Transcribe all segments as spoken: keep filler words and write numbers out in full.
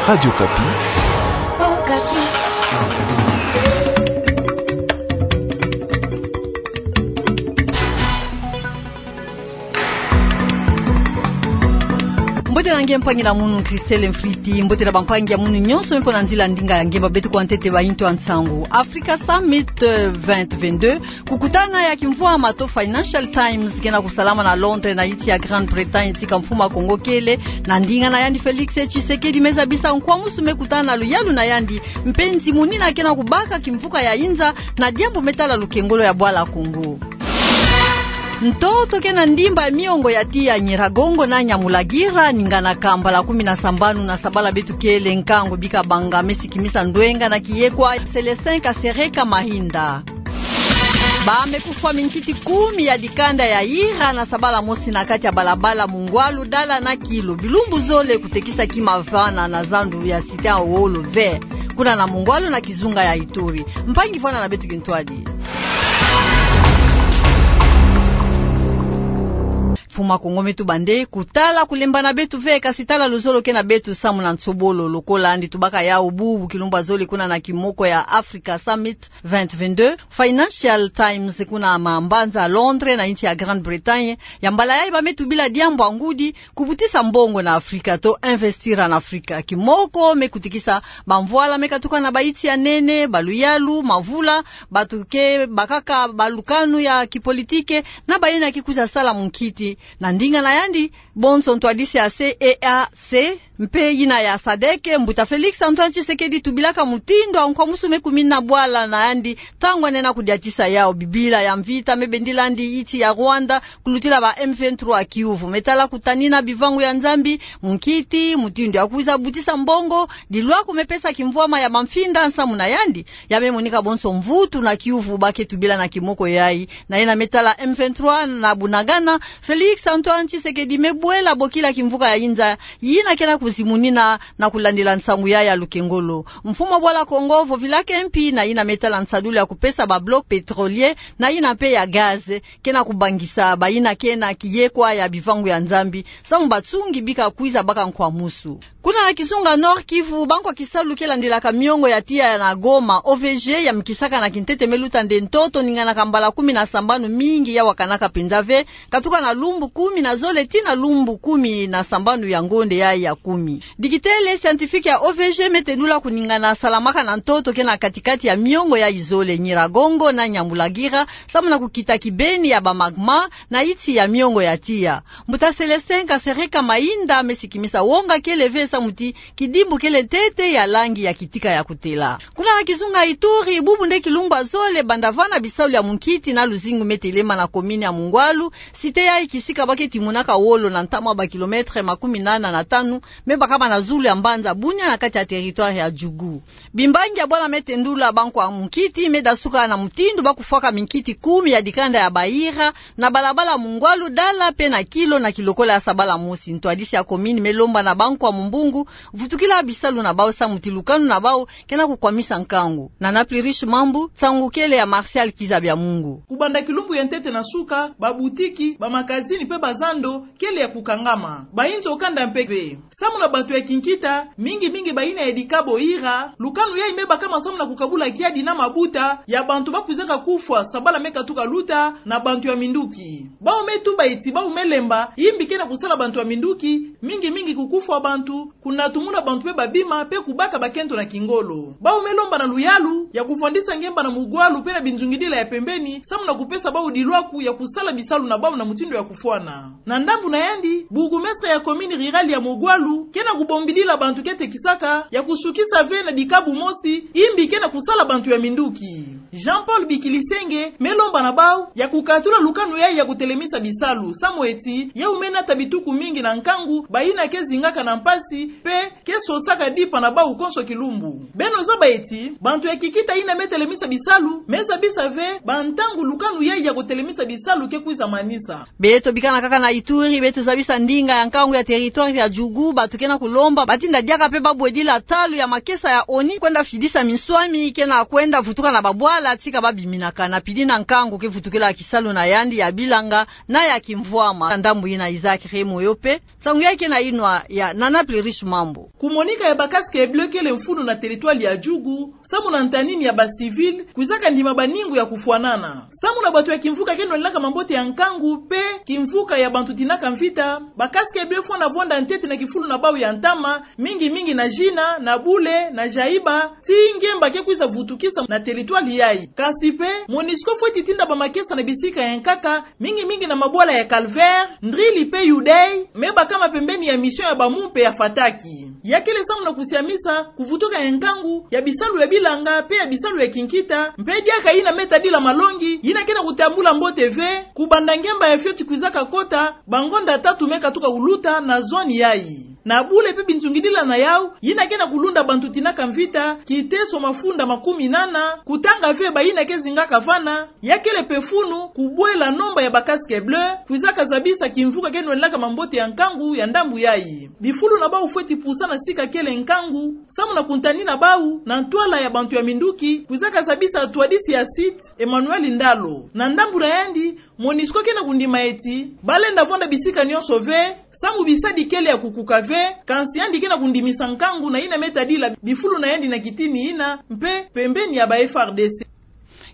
Radio Okapi. Mbote na nge mpangi na munu Christelle Mfriti, mbote na bampangi ya munu nyonso me mpo na nzila ndinga ya nge. Ba beto kwa ntete ba intu ya nsangu. Africa Summit, euh, vingt vingt-deux, kukutana ya kimvwama to Financial Times ke na kusalama na Londres na insi ya Grande-Bretagne, tika mfumu a Kongo kele, na ndinga na yandi Félix Tshisekedi me zabisa nkwamusu me kutana na luyalu na yandi, mpe nzimunina ke na kubaka kimvuka ya inza, na diambu me tala lukengolo ya bwala Kongo. Ntoto ke na ndimba ya miongo ya tiya Nyiragongo na Nyamulagira, ninganaka mbala kumi na sambanu na sabala beto kele, nkangu bika banga me sikimisa ndwenga na kiyekwa Célestin Kasereka Mahinda. Ba me kufwa minkiti kumi ya dikanda ya ira na sabala mosi na kati ya balabala Mungwalu, Dala na Kilo. Bilumbu zole kutekisa kima vana na zandu ya Cité Awolo Vert, kuna na Mungwalu na kizunga ya Ituri. Mpangi, vwanda na beto kintwadi. Mfumu a Kongo me tuba nde kutala kulemba na beto ve, kasi tala luzolo ke na beto samu na nsobolo. Lokola yandi tubaka yawu bubu kilumbu ya zole, kuna na kimoko ya Africa Summit vingt vingt-deux, Financial Times, kuna mambanza Londres na insi ya Grande-Bretagne, ya mbala yayi ba me tubila diambu ya ngudi: kubutisa mbongo na Afrika to investir en Afrika. Kimoko me kutikisa bamvwala me katuka na bainsi ya nene, baluyalu, mavula, bato ke bakaka balukanu ya kipolitike, na bayina ke kwiza sala munkiti. Na ndinga na yandi, bonso ntwadisi ya C E E A C mpe yina ya sadeke, mbuta Félix Antoine Tshisekedi tubilaka mutindu ya nkwamusu me kumina bwala na yandi ntangu yandi lenda kudiatisa yawu. Bibila ya mvita me bendila yandi insi ya Rwanda kulutila ba M vingt-trois kiuvu. Me tala kutanina bivangu ya Nzambi, munkiti, mutindu ya kwiza butisa mbongo, dilwaku me pesa kimvwama ya bamfinda nsamu na yandi, ya me monika bonso mvutu na kiuvu ba ke tubila na kimoko yayi. Na yina me tala M vingt-trois na Bunagana, Félix Antoine Tshisekedi me bwela bokila kimvuka ya inza, yina ke na kuzimunina na kulandila nsangu yayi ya lukengolo. Mfumu a bwala Kongo vovilaka mpi na yina me tala nsadulu ya kupesa ba blocs pétroliers na yina mpe ya gaz, ke na kubangisa bayina ke na kiyekwa ya bivangu ya Nzambi samu batsungi bika kwiza baka nkwamusu. Kuna na kizunga Nord-Kivu, bankwa kisalu ke landilaka miongo ya tiya na Goma, O V G, yamikisaka na kintete me luta nde ntoto ninganaka mbala kumi na sambanu, mingi ya wakanaka mpenza ve, katuka na lumbu kumi na zole tii na lumbu kumi na sambanu ya ngonde yayi ya kumi. Dikitele scientifique ya O V G me tendula kuningana salamaka na ntoto ke na katikati ya miongo yayi zole, Nyiragongo na Nyamulagira, samu na kukita kibeni ya ba magma na insi ya miongo ya tiya. Mbuta Célestin Kasereka Mahinda me sikimisa wonga kele ve samu ti kidimbu kele ntete ya langi ya kitika ya kutela. Kuna na kizunga Ituri, bubu nde kilumbu ya zole banda vana bisalu ya munkiti na luzingu me telema na commune ya Mungwalu, cité yayi kisika ba ke timunaka wolo na ntamu ya ba kilomètre makumi nana na tanu, me bakama na zulu ya mbanza Bunia na kati ya territoire ya Djugu. Bimbangi ya bwala me tendula bankwa munkiti me dasuka na mutindu ba kufwaka minkiti kumi ya dikanda ya bayira na balabala Mungwalu, Dala mpe na Kilo na kilokola ya sabala mosi. Ntwadisi ya commune me lomba na bankwa mumbungu vutukila bisalu na bawu samu ti lukanu na bawu ke na kukwamisa nkangu. Nana Plurish Mambu, nsangu kele ya Martial Kiza Bya Mungu. Kubanda kilumbu ya ntete na suka, ba boutique, ba magazine mpe ba zando kele ya kukangama. Bayinzo kanda mpe ve. Samu na bantu ya kinkita, mingi mingi bayina ya dikabo ira, lukanu yayi me bakama samu na kukabula kiadi na mabuta ya bantu ba kwizaka kufwa sabala me katuka luta na bantu ya minduki. Bawu me tuba ti bawu me lemba, yimbi ke na kusala bantu ya minduki, mingi mingi kukufwa bantu, kunatumuna bantu mpe ba bima mpe kubaka bakento na kingolo. Bawu me lomba na luyalu ya kuvwandisa ngemba na Mungwalu mpe na binzungidila ya pembeni, samu na kupesa bawu dilwaku ya kusala bisalu na bawu na mutindu ya kufwana. Na ndambu na yandi, bourgmestre ya commune rurale ya Mungwalu ke na kubombidila bantu ke tekisaka ya kusukisa ve na dikabu mosi, yimbi ke na kusala bantu ya minduki. Jean-Paul Bikilisenge me lomba na bawu ya kukatula lukanu yayi ya kutelemisa bisalu, samu ti yawu me nata bituku mingi na nkangu, bayina ke zingaka na mpasi mpe ke sosaka dipa na bawu konso kilumbu. Beno zaba ti bantu ya kinkita yina me telemisa bisalu me zabisa ve bantangu lukanu yayi ya kutelemisa bisalu ke kwiza manisa. Beto bikana kaka na Ituri, beto zabisa ndinga ya nkangu ya territoire ya Djugu, bantu ke na kulomba batinda diaka mpe ba bwedila talu ya makesa ya ONU kwenda fidisa minswami ke na kwenda vutuka na babwala tika ba biminaka na pili na nkangu ke vutukila kisalu na yandi ya bilanga na ya kimvwama. Ndambu yina Isaac Remo yo mpe, nsangu yayi ke na yinwa ya Nana Plurish Mambu. Kumonika ya ba casques bleus kele mfunu na territoire ya Djugu, samu na ntanini ya ba civils kwizaka ndima baningu ya kufwanana. Samu na bato ya kimvuka ke nwanenaka mambote ya nkangu, pe kimvuka ya bantu tinaka mvita, ba casques bleus fwana vwanda ntete na kifulu na bau ya ntama, mingi mingi na Djina, na Boulé, na Djaïba, tii ngemba ke kwiza vutukisa na territoire yayi. Kasi pe, MONUSCO fweti tinda bamakesa na bisika ya nkaka, mingi mingi na mabwala ya Calvaire, Ndrili pe Youdéï, me bakama pembeni ya mission ya ba mumpe ya Fataki. Ya kele samu na kusiamisa kuvutuka ya nkangu ya bisalu ya bilanga pe ya bisalu ya kinkita, mpe diaka yina me tadila malongi yina ke na kutambula mbote ve, kubanda ngemba ya fioti kwizaka kota bangonda tatu me katuka kuluta na zone yayi. Na Boulé pe binzungidila na yau, yina ke na kulunda bantu tinaka mvita, Kiteso mafunda makumi nana, kutanga ve bayina ke zingaka vana, ya kele pe mfunu kubwela nomba ya ba casques bleus kwizaka zabisa kimvuka ke nwanenaka mambote ya nkangu ya ndambu yayi. Bifulu na bau fweti pusa na sika kele nkangu, samu na kuntanina bau na ntwala ya bantu ya minduki, kwizaka zabisa ntwadisi ya site, Emmanuel Ndalo. Na ndambu na yandi, MONUSCO ke na kundima eti balenda vwanda bisika nyonso ve, samu bisadi kele ya kukuka ve, kansi yandi ke na kundimisa nkangu na yina me tadila bifulu na yandi na kitini yina, mpe pembeni ya ba F R D C.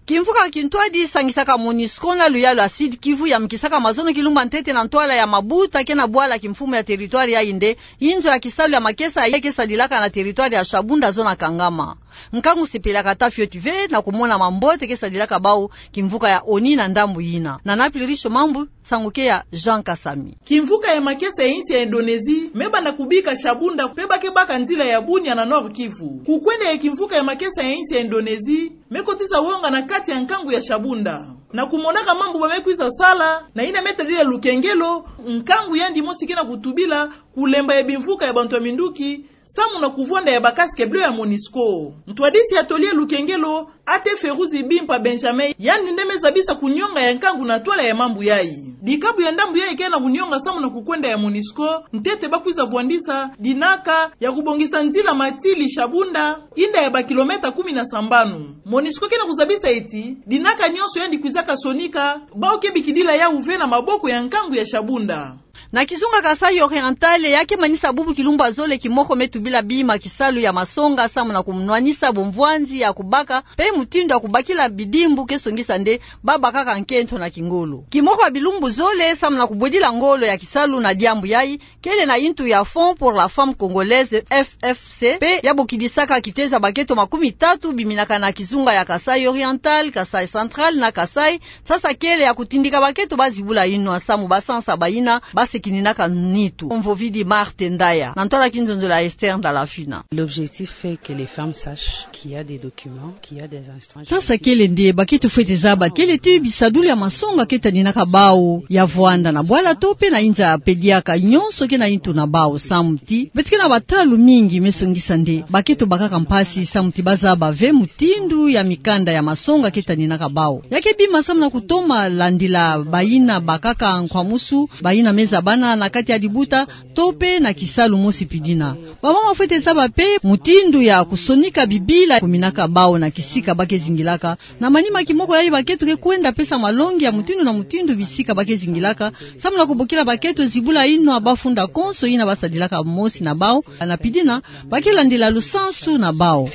Kimvuka kintwadi sangisaka MONUSCO na luyalu ya Sud-Kivu yamkisaka mazono kilumba ntete na ntwala ya mabuta ke na bwala kimfumu ya territoire yayi nde inzo ya kisalu ya makesa yayi ke sadilaka na territoire ya Shabunda, zona Kangama. Nkangu sepelaka ata fioti ve na kumona mambote ke sadilaka bau kimvuka ya ONI na ndambu yina. Nana Plurish Mambu, nsangu ke ya Jean Kasami. Kimvuka ya makesa ya insi ya Indonésie me banda kubika Shabunda pe ba ke baka nzila ya Bunia na Nord-Kivu. Kukwenda ya kimvuka ya makesa ya insi ya Indonésie me kotisa wonga na kati ya nkangu ya Shabunda. Na kumonaka mambu ba me kwiza sala na yina me tadila lukengelo, nkangu yandi mosi ke na kutubila kulemba ya bimvuka ya bantu ya minduki, samu na kuvwanda ya ba casques bleus ya MONUSCO. Ntwadisi ya toli ya lukengelo, A T Feruzi Bimpa Benjamin, yandi nde me zabisa kunionga ya nkangu na ntwala ya mambu yayi. Dikabu ya ndambu yayi ke na kunionga samu na kukwenda ya MONUSCO, ntete ba kwiza vwandisa dinaka ya kubongisa nzila Matili Shabunda, inda ya ba kilomètre kumi na sambanu. MONUSCO ke na kuzabisa eti dinaka nyonso yandi kwizaka sonika, bau ke bikidila yau ve na maboko ya nkangu ya Shabunda. Na kizunga Kasaï Oriental, ya ke manisa bubu kilumbu ya zole kimoko me tubila bima kisalu ya masonga samu na kunwanisa bumvwanzi ya kubaka pe mutindu ya kubakila bidimbu ke songisa nde ba bakaka nkento na kingolo. Kimoko ya bilumbu zole samu na kubwedila ngolo ya kisalu na diambu yayi, kele na intu ya Fonds pour la Femme Congolaise, F F C, pe ya bokidisaka kitezo ya baketo makumi tatu biminaka na kizunga ya Kasaï Oriental, Kasaï Central na Kasaï. Sasa kele ya kutindika baketo ba zibula inwa samu ba sansa bayina ba sekininaka nitu. Mvovidi Marthe Ndaya, na ntwala kinzonzolo ya Esther Ndalafina. L'objectif est que les femmes sachent qu'il y a des documents, qu'il y a des instances. Sasa kele nde baketo fwete zaba kele ti bisadulu ya masonga ke tadinaka bau ya vwanda na bwala to pe na inza pe diaka, nyonso ke na intu na bau samu ti beto ke na batalu mingi me songisa nde baketo bakaka mpasi samu ti ba zaba ve mutindu ya mikanda ya masonga ke tadinaka bau. Ya ke bima samu na kutoma landila bayina bakaka nkwamusu, bayina me zabana na kati ya dibuta, to pe na kisalu mosi pidina. Bamama fwete zaba pe mutindu ya kusonika bibila kuminaka bau na kisika ba ke zingilaka. Na manima kimoko yayi baketo ke kwenda pesa malongi ya mutindu na mutindu bisika ba ke zingilaka, samu na kubokila baketo zibula inwa ba funda konso yina ba sadilaka mosi na bau, na pidina ba ke landila lusansu na bau.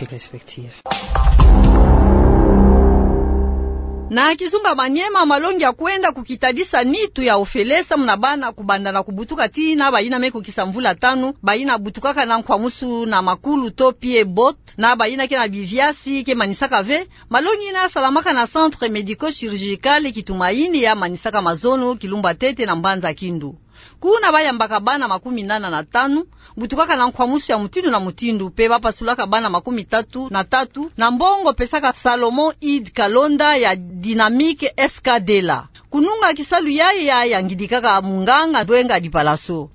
Na kizunga Maniema, malongi ya kwenda kukitadisa nitu ya ofele samu na bana kubanda na kubutuka tii na bayina me kukisa mvula tanu, bayina butukaka na nkwamusu na makulu to pied-bot, na bayina ke na biviasi ke manisaka ve. Malongi yina ya salamaka na centre médico-chirurgical Kitumaini ya manisaka mazono kilumbu ya ntete na mbanza Kindu. Kuna ba yambaka bana makumi nana na tanu, butukaka na nkwamusu ya mutindu na mutindu, pe ba pasulaka bana makumi tatu na tatu, na mbongo pesaka Salomon Eid Kalonda ya Dynamique S K D la. Kununga kisalu yayi ya yangidikaka munganga Ndwenga Dipalaso.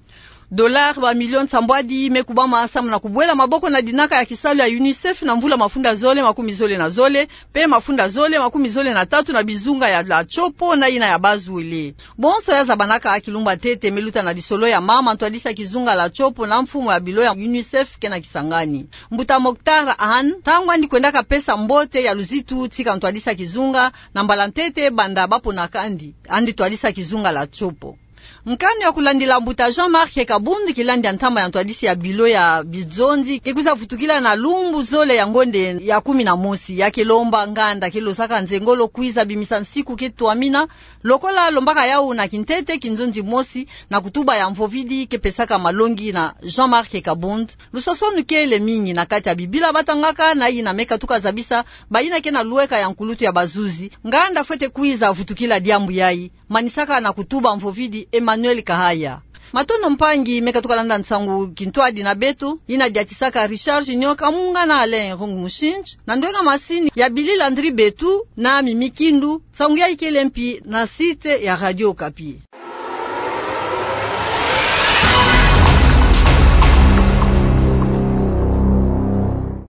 Dollars ba millions nsambwadi me kubama samu na kubwela maboko na dinaka ya kisalu ya UNICEF na mvula mafunda zole makumi zole na zole, pe mafunda zole makumi zole na tatu na bizunga ya La Tshopo na yina ya Bas-Uele. Bonso ya zabanaka kilumbu ya ntete me luta na lisolo ya mama ntwadisi ya kizunga La Tshopo na mfumu ya bilo ya UNICEF ke na Kisangani. Mbuta Mokhtar Anne, ntangu yandi kwendaka pesa mbote ya luzitu tika ntwadisi ya kizunga, na mbala ntete banda ba ponaka yandi, yandi ntwadisi ya kizunga La Tshopo. Nkanu ya kulandila mbuta Jean-Marc Kabund, kilandi ya ntama ya ntwadisi ya bilo ya bizonzi, ke kwiza vutukila na lumbu zole ya ngonde ya kumi na mosi, ya ke lomba nganda ke losaka nzengolo kwiza bimisa nsiku ke twamina, lokola lombaka yau na kintete kinzonzi mosi, na kutuba ya mvovidi ke pesaka malongi na Jean-Marc Kabund. Lusosonu kele mingi na kati ya Bibila batangaka, na yina me katuka zabisa bayina ke na lueka ya nkulutu ya bazuzi, nganda fwete kwiza vutukila diambu yayi. Manisaka na kutuba mvovidi Emmanuel Kahaya. Matondo mpangi me katuka landa nsangu kintwadi na beto, yina diatisaka Richard Junior Kamunga na Alain Rung Mushindji, na ndwenga masini ya Billy Landry Betu na Mimi Kindu, nsangu yayi kele mpi na site ya Radio Okapi.